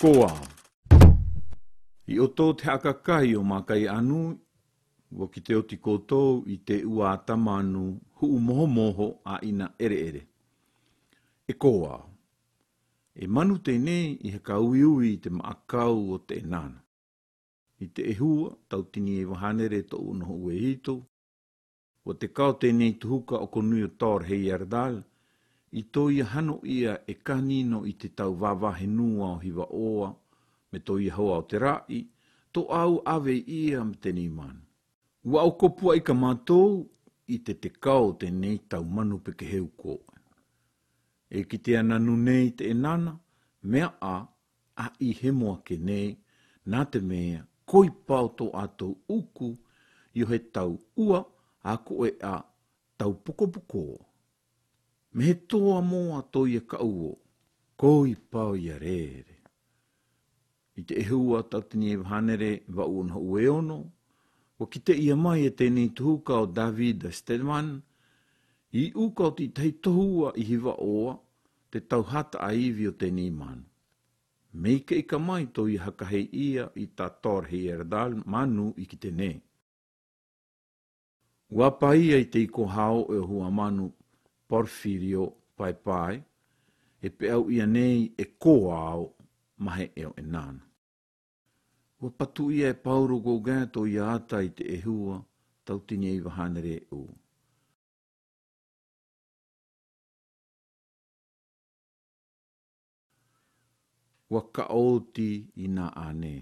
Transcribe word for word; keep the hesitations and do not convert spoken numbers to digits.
Koa. I oto te hakakai o makai anu, ua ki te oti koutou i te ua atamanu huu moho moho a ina ere ere. E koa. E manu tēnei i haka uiui i te maakau o te enana. I te ehua, tautini e wahanere to unoho ue hito, ua te kao tēnei tuhuka o konui o Tor Heyerdahl, i tō ia hano ia e kanino i te tau wawahenua o hiwa oa, me tō ia hoa o te rai, tō au ave ia me tēnei manu. Ua au kopua i ka mātou i te te kao tēnei tau manu peke heu koe. E ki te ananu nei te enana, mea a, a i hemo ake nei, nā te mea, koi pao tō ātou uku, i o he tau ua, a ko e a tau pokopoko. Me he tōa mōa tō ia kauo, koi pao ia rere. I te ehua tautini e wahanere wa uono ue ono, wa ki te ia mai e tēnei tuhuka o David Stedman, i uka o titahi tohua i hiwa oa, te tauhata a iwi o tēnei manu. Meike i ka mai tō ia hakahei ia i tā Tor Heyerdahl manu i ki te nei. Ua paia i te iko hao e hua manu Porfirio Pai Pai, e pe au ia nei e kōao mahe eo e nana. Ua patu ia e Pauro Gauguin tō ia ata i te ehua, tautini e wahanere e u. Ua kaoti i nā ane.